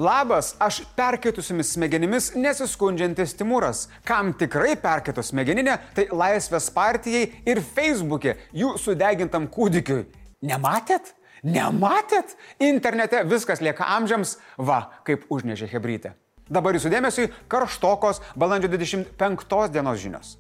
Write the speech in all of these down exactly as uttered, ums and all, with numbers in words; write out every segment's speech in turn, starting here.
Labas, aš perkeitusiamis smegenimis nesiskundžiantis Timūras. Kam tikrai perkeitus smegeninė, tai Laisvės partijai ir Facebook'e jų sudegintam kūdikiui. Nematėt? Nematėt? Internete viskas lieka amžiams, va, kaip užnešė chebrytė. Dabar jūsų dėmesiui karštokos balandžio dvidešimt penktos dienos žinios.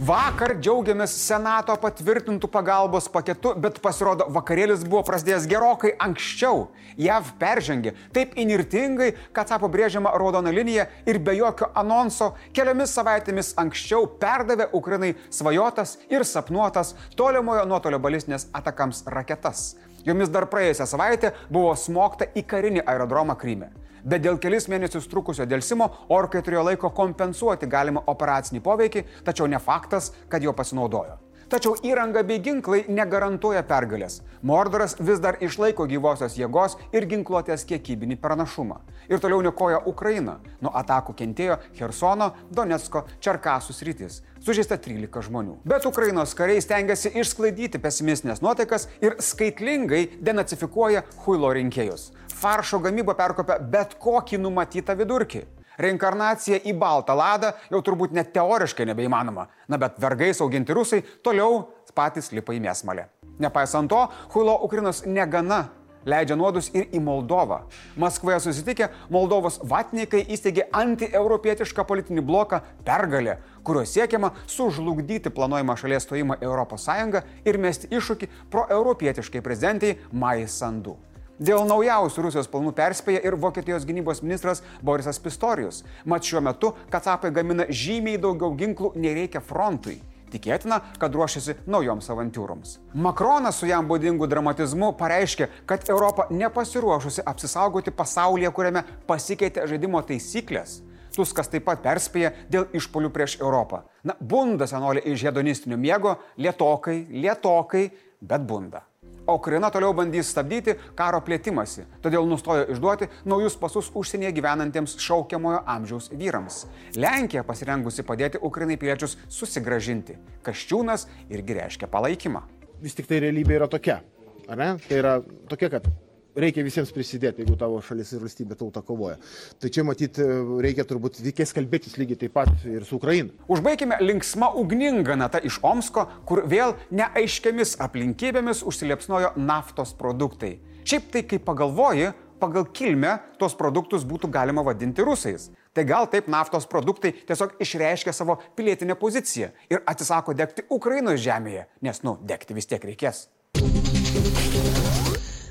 Vakar džiaugiamės Senato patvirtintų pagalbos paketu, bet pasirodo vakarėlis buvo prasidėjęs gerokai anksčiau. J A V peržengė taip inirtingai, kad tapo brėžiama raudona linija ir be jokio anonso keliomis savaitėmis anksčiau perdavė Ukrainai svajotas ir sapnuotas tolimojo nuotolio balistinės atakams raketas. Jomis dar praėjusią savaitę buvo smogta į karinį aerodromą Kryme. Bet dėl kelis mėnesius trukusio delsimo orkai turėjo laiko kompensuoti galimą operacinį poveikį, tačiau ne faktas, kad jo pasinaudojo. Tačiau įranga bei ginklai negarantuoja pergalės. Mordoras vis dar išlaiko gyvosios jėgos ir ginkluotės kiekybinį pranašumą. Ir toliau niokoja Ukrainą. Nuo atakų kentėjo Chersono, Donecko, Čerkasų sritys. Sužeista trylika žmonių. Bet Ukrainos kariai stengiasi išsklaidyti pesimistinės nuotaikas ir skaitlingai denacifikuoja huilo rinkėjus. Faršo gamyba perkopia bet kokį numatytą vidurkį. Reinkarnacija į baltą ladą jau turbūt net teoriškai nebeįmanoma. Na bet vergais auginti rusai toliau patys lipa į mėsmalę. Nepaisant to, huilo Ukrainos negana. Leidžia nuodus ir į Moldovą. Maskvoje susitikę, Moldovos vatnikai įsteigė antieuropietišką politinį bloką Pergalė, kurio siekiama sužlugdyti planuojamą šalies stojimą į Europos Sąjungą ir mesti iššūkį proeuropietiškai prezidentai Majai Sandu. Dėl naujausių Rusijos planų perspėja ir Vokietijos gynybos ministras Borisas Pistorius. Mat šiuo metu kacapai gamina žymiai daugiau ginklų nei reikia frontui. Tikėtina, kad ruošiasi naujoms avantiūroms. Makronas su jam būdingu dramatizmu pareiškė, kad Europa nepasiruošusi apsisaugoti pasaulyje, kuriame pasikeitė žaidimo taisyklės. Tuskas taip pat perspėja dėl išpuolių prieš Europą. Na, bunda senolė iš hedonistinio miego, lietokai, lietokai, bet bunda. O Ukraina toliau bandys stabdyti karo plėtimąsi, todėl nustojo išduoti naujus pasus užsienyje gyvenantiems šaukiamojo amžiaus vyrams. Lenkija pasirengusi padėti Ukrainai piliečius susigrąžinti. Kasčiūnas irgi reiškia palaikymą. Vis tik tai realybė yra tokia, ar ne? Tai yra tokia, kad reikia visiems prisidėti, jeigu tavo šalis ir valstybė tauta kovoja. Tai čia matyti reikia turbūt reikės kalbėtis lygiai taip pat ir su Ukraina. Užbaikime linksma ugninga nata iš Omsko, kur vėl neaiškiamis aplinkybėmis užsiliepsnojo naftos produktai. Šiaip tai, kai pagalvoji, pagal kilmę tos produktus būtų galima vadinti rusais. Tai gal taip naftos produktai tiesiog išreiškia savo pilietinę poziciją ir atsisako degti Ukrainos žemėje, nes, nu, degti vis tiek reikės.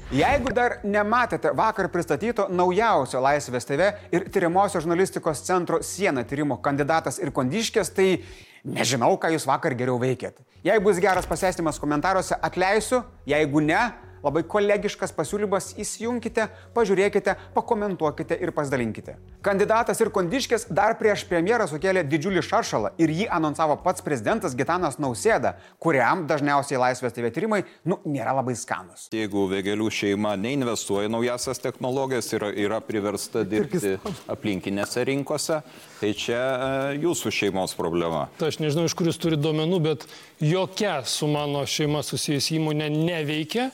Jeigu dar nematėte vakar pristatyto naujausio Laisvės T V ir tyrimosios žurnalistikos centro Siena tyrimo kandidatas ir kondiškės, tai nežinau, ką jūs vakar geriau veikėt. Jei bus geras pasėstymas komentaruose, atleisiu, jeigu ne, labai kolegiškas pasiūlymas, įsijunkite, pažiūrėkite, pakomentuokite ir pasidalinkite. Kandidatas ir kondiškės dar prieš premjerą sukėlė didžiulį šaršalą ir jį anonsavo pats prezidentas Gitanas Nausėda, kuriam dažniausiai Laisvės T V tyrimai, nu, nėra labai skanus. Jeigu Vėgėlių šeima neinvestuoja naujasias technologijas ir yra priversta dirbti aplinkinėse rinkose, tai čia jūsų šeimos problema. Tai aš nežinau, iš kur jūs turite duomenų, bet jokia su mano šeima susijusi įmonė neveikia.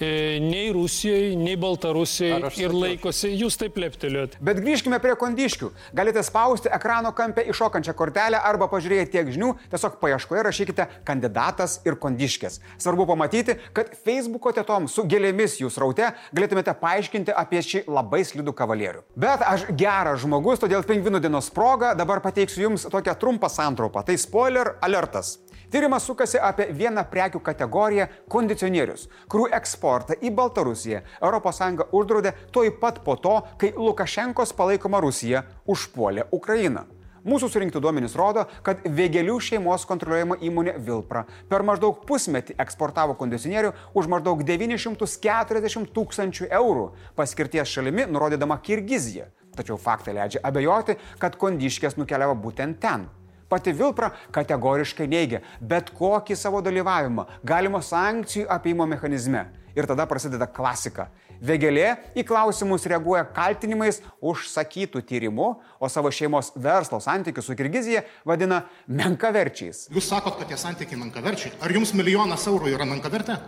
Nei Rusijoje, nei Baltarusijoje ir laikosi, jūs taip leptelėjot. Bet grįžkime prie kondiškių. Galite spausti ekrano kampe iššokančią kortelę arba pažiūrėję tiek žinių, tiesiog paieškoje rašykite kandidatas ir kondiškės. Svarbu pamatyti, kad Facebooko tetom su gėlėmis jūs raute galėtumėte paaiškinti apie šį labai slidų kavalierių. Bet aš geras žmogus, todėl pingvinų dienos proga dabar pateiksiu jums tokią trumpą santraupą. Tai spoiler alertas. Tyrimas sukasi apie vieną prekių kategoriją – kondicionierius, kurių eksportą į Baltarusiją Europos Sąjunga uždraudė tuoj pat po to, kai Lukašenkos palaikoma Rusija užpuolė Ukrainą. Mūsų surinkti duomenys rodo, kad Vėgėlių šeimos kontroliuojama įmonė Vilpra per maždaug pusmetį eksportavo kondicionierių už maždaug devynis šimtus keturiasdešimt tūkstančių eurų, paskirties šalimi nurodydama Kirgiziją. Tačiau faktai leidžia abejoti, kad kondiškės nukeliavo būtent ten. Pati Vilpra kategoriškai neigia bet kokį savo dalyvavimą galimo sankcijų apėjimo mechanizme. Ir tada prasideda klasika. Vėgėlė į klausimus reaguoja kaltinimais užsakytų tyrimų, o savo šeimos verslo santykius su Kirgizija vadina menkaverčiais. Jūs sakot, kad tie santykiai menkaverčiai. Ar jums milijonas eurų yra menkavertė?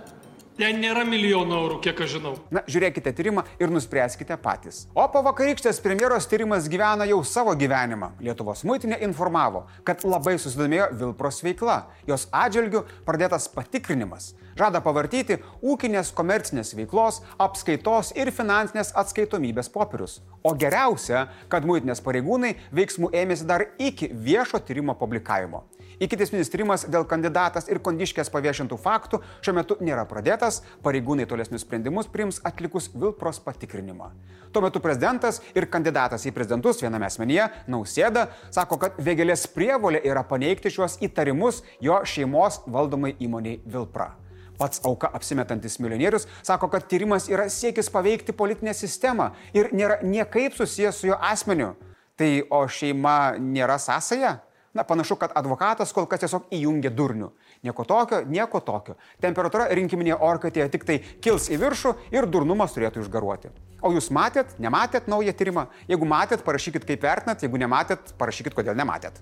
Ten nėra milijonų eurų, kiek aš žinau. Na, žiūrėkite tyrimą ir nuspręskite patys. O po vakarykštės premjeros tyrimas gyvena jau savo gyvenimą. Lietuvos muitinė informavo, kad labai susidomėjo Vilpros veikla. Jos atžvilgiu pradėtas patikrinimas. Žada pavartyti ūkinės komercinės veiklos, apskaitos ir finansinės atskaitomybės popierius. O geriausia, kad muitinės pareigūnai veiksmų ėmėsi dar iki viešo tyrimo publikavimo. Ikiteisminis tyrimas dėl kandidatas ir Kondiškės paviešintų faktų šiuo metu nėra pradėtas, pareigūnai tolesnius sprendimus priims atlikus Vilpros patikrinimą. Tuo metu prezidentas ir kandidatas į prezidentus viename asmenyje, Nausėda, sako, kad Vėgėlės prievolė yra paneigti šiuos įtarimus jo šeimos valdomai įmoniai Vilpra. Pats auka apsimetantis milijonierius sako, kad tyrimas yra siekis paveikti politinę sistemą ir nėra niekaip susijęs su jo asmeniu. Tai o šeima nėra sąsaja? Na, panašu, kad advokatas kol kas tiesiog įjungia durnių. Nieko tokio, nieko tokio. Temperatūra rinkiminėje orkaitėje tik tai kils į viršų ir durnumas turėtų išgaruoti. O jūs matėt, nematėt naują tyrimą? Jeigu matėt, parašykit kaip vertinat, jeigu nematėt, parašykit kodėl nematėt.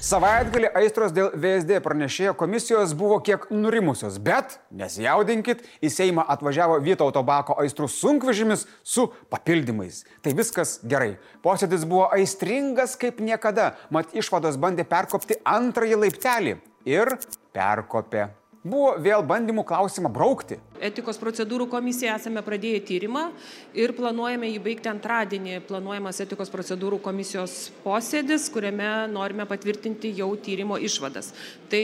Savaitgalį aistros dėl V S D pranešėjo komisijos buvo kiek nurimusios, bet nesijaudinkit, į Seimą atvažiavo Vytauto Bako aistrų sunkvežimis su papildymais. Tai viskas gerai. Posėdis buvo aistringas kaip niekada, mat išvados bandė perkopti antrąjį laiptelį ir perkopė. Buvo vėl bandymų klausimą braukti. Etikos procedūrų komisija esame pradėję tyrimą ir planuojame jį baigti antradienį. Planuojamas etikos procedūrų komisijos posėdis, kuriame norime patvirtinti jau tyrimo išvadas. Tai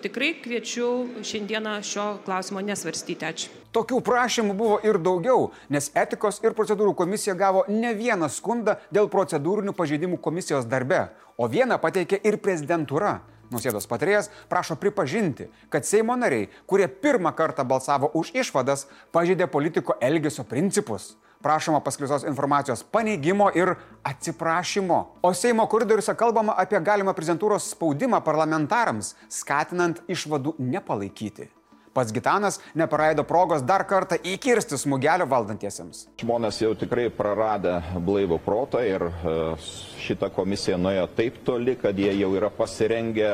tikrai kviečiu šiandieną šio klausimo nesvarstyti. Ačiū. Tokių prašymų buvo ir daugiau, nes etikos ir procedūrų komisija gavo ne vieną skundą dėl procedūrinių pažeidimų komisijos darbe, o vieną pateikė ir prezidentūra. Nausėdos patarėjas prašo pripažinti, kad Seimo nariai, kurie pirmą kartą balsavo už išvadas, pažeidė politiko elgesio principus. Prašoma paskleistos informacijos paneigimo ir atsiprašymo. O Seimo koridoriuose kalbama apie galimą prezidentūros spaudimą parlamentarams, skatinant išvadų nepalaikyti. Pats Gitanas neparaido progos dar kartą įkirsti smūgelio valdantiesiems. Žmonės jau tikrai praradę blaivų protą ir šita komisija nuėjo taip toli, kad jie jau yra pasirengę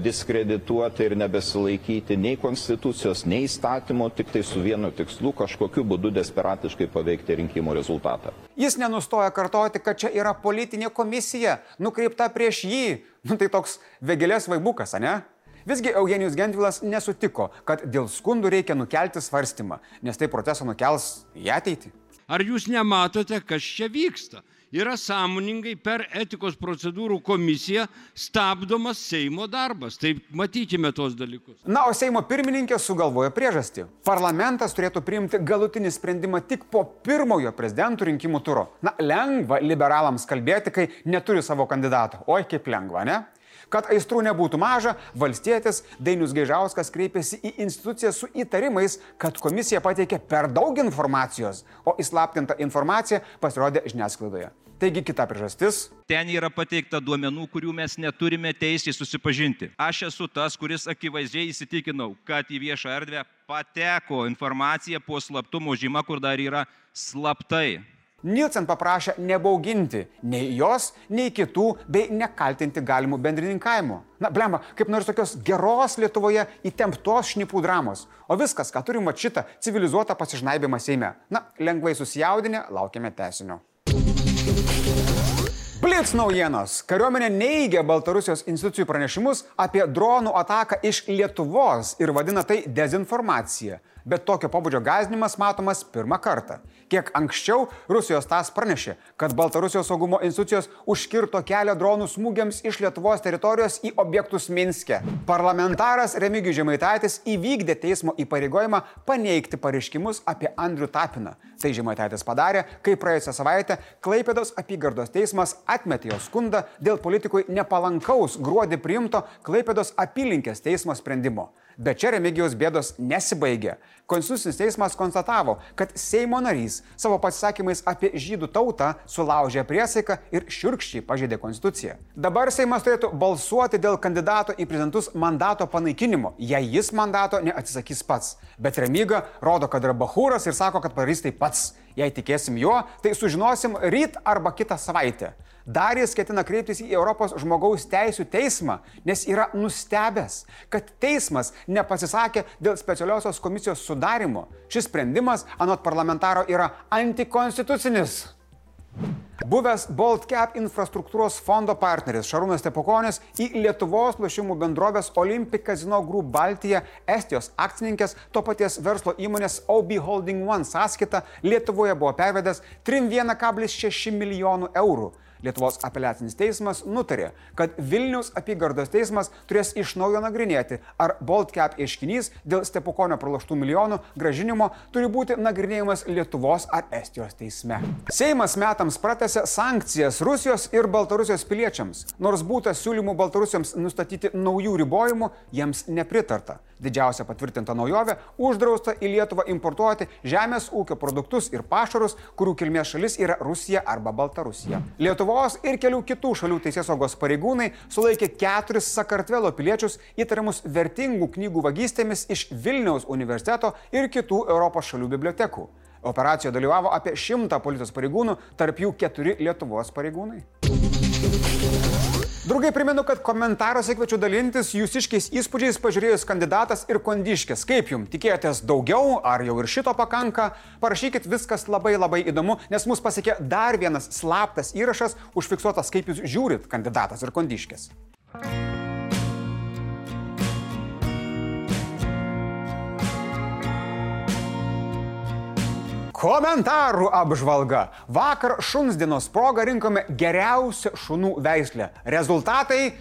diskredituoti ir nebesilaikyti nei konstitucijos, nei įstatymo, tik tai su vienu tikslu kažkokiu būdu desperatiškai paveikti rinkimų rezultatą. Jis nenustoja kartoti, kad čia yra politinė komisija, nukreipta prieš jį. Nu tai toks Vėgėlės vaibukas, ane? Visgi Eugenijus Gentvilas nesutiko, kad dėl skundų reikia nukelti svarstymą, nes tai procesą nukels į ateitį. Ar jūs nematote, kas čia vyksta? Yra sąmoningai per etikos procedūrų komisiją stabdomas Seimo darbas. Tai matykime tos dalykus. Na, o Seimo pirmininkė sugalvojo priežastį. Parlamentas turėtų priimti galutinį sprendimą tik po pirmojo prezidentų rinkimų turo. Na, lengva liberalams kalbėti, kai neturi savo kandidato. Oi, kaip lengva, ne? Kad aistrų nebūtų maža, valstietis Dainius Gaižauskas kreipėsi į instituciją su įtarimais, kad komisija pateikė per daug informacijos, o įslaptinta informacija pasirodė žiniasklaidoje. Taigi kita priežastis. Ten yra pateikta duomenų, kurių mes neturime teisės susipažinti. Aš esu tas, kuris akivaizdžiai įsitikinau, kad į viešą erdvę pateko informacija po slaptumo žyma, kur dar yra slaptai. Nielsen paprašė nebauginti nei jos, nei kitų, bei nekaltinti galimų bendrininkavimu. Na, blemba, kaip nors tokios geros Lietuvoje įtemptos šnipų dramos. O viskas, ką turim vat šitą civilizuotą pasižnaibimą Seime. Na, lengvai susijaudinę, laukiame tęsinio. Blitz naujienos. Kariuomenė neigia Baltarusijos institucijų pranešimus apie dronų ataką iš Lietuvos ir vadina tai dezinformacija. Bet tokio pobūdžio gąsdinimas matomas pirmą kartą. Kiek anksčiau Rusijos tas pranešė, kad Baltarusijos saugumo institucijos užkirto kelią dronų smūgiams iš Lietuvos teritorijos į objektus Minske. Parlamentaras Remigijus Žemaitaitis įvykdė teismo įpareigojimą paneigti pareiškimus apie Andrių Tapiną. Tai Žemaitaitis padarė, kai praėjusią savaitę Klaipėdos apygardos teismas atmetė jo skundą dėl politikui nepalankaus gruodį priimto Klaipėdos apylinkės teismo sprendimo. Bet čia Remigijaus bėdos nesibaigė. Konstitucinis teismas konstatavo, kad Seimo narys savo pasisakymais apie žydų tautą sulaužė priesaiką ir šiurkščiai pažeidė konstituciją. Dabar Seimas turėtų balsuoti dėl kandidato į prezidentus mandato panaikinimo, jei jis mandato neatsisakys pats. Bet Remiga rodo, kad yra bachūras ir sako, kad padarys tai pats. Jei tikėsim juo, tai sužinosim ryt arba kitą savaitę. Dar jis ketina kreiptis į Europos žmogaus teisų teismą, nes yra nustebęs, kad teismas nepasisakė dėl specialiosios komisijos sudarimo. Šis sprendimas, anot parlamentaro, yra antikonstitucinis. Buvęs Baltcap infrastruktūros fondo partneris Šarūnas Stepukonis į Lietuvos lošimų bendrovės Olympic Casino Group Baltija Estijos akcininkės to paties verslo įmonės O B Holding One sąskaitą Lietuvoje buvo pervedęs trim vienas kablis šeši milijonų eurų. Lietuvos apeliacinis teismas nutarė, kad Vilniaus apygardos teismas turės iš naujo nagrinėti, ar Baltcap ieškinys dėl Stepukonio praloštų milijonų gražinimo turi būti nagrinėjimas Lietuvos ar Estijos teisme. Seimas metams pratęsė sankcijas Rusijos ir Baltarusijos piliečiams. Nors būta siūlymų Baltarusiams nustatyti naujų ribojimų, jiems nepritarta. Didžiausia patvirtinta naujovė - uždrausta į Lietuvą importuoti žemės ūkio produktus ir pašarus, kurių kilmės šalis yra Rusija arba Baltarusija. Lietuvos ir kelių kitų šalių teisėsaugos pareigūnai sulaikė keturis Sakartvelo piliečius įtariamus vertingų knygų vagystėmis iš Vilniaus universiteto ir kitų Europos šalių bibliotekų. Operacijoje dalyvavo apie šimtą policijos pareigūnų, tarp jų keturi Lietuvos pareigūnai. Draugai, primenu, kad komentaruose kviečiu dalintis jūsiškiais įspūdžiais pažiūrėjus kandidatas ir kondiškis. Kaip jums? Tikėjotės daugiau, ar jau ir šito pakanka? Parašykit, viskas labai labai įdomu, nes mus pasiekė dar vienas slaptas įrašas, užfiksuotas, kaip jūs žiūrit kandidatas ir kondiškis. Komentarų apžvalga. Vakar šuns dienos proga rinkome geriausią šunų veislę. Rezultatai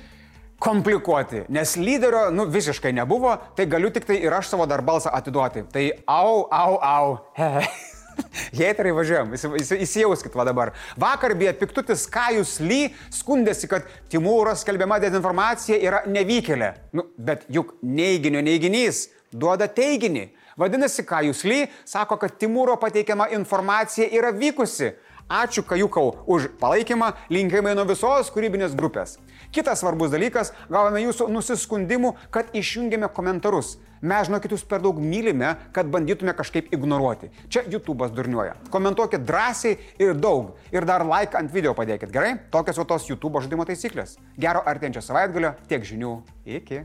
komplikuoti, nes lyderio nu, visiškai nebuvo, tai galiu tik tai ir aš savo dar balsą atiduoti. Tai au, au, au. Heiterai, važiuojam, įsijauskit va dabar. Vakar beje piktutis Kajus Ly skundėsi, kad Timūro skelbiama dezinformacija yra nevykėlė. Nu, bet juk neiginio neiginys duoda teiginį. Vadinasi, Kajus Ly sako, kad Timūro pateikiama informacija yra vykusi. Ačiū Kajukau už palaikymą, linkėjimai nuo visos kūrybinės grupės. Kitas svarbus dalykas, gavome jūsų nusiskundimų, kad išjungėme komentarus. Mes, žinokit, jūs per daug mylime, kad bandytume kažkaip ignoruoti. Čia YouTube'as durniuoja. Komentuokit drąsiai ir daug. Ir dar like ant video padėkit, gerai? Tokios jau tos YouTube'o žaidimo taisyklės. Gero artėjančio savaitgalio, tiek žinių. Iki.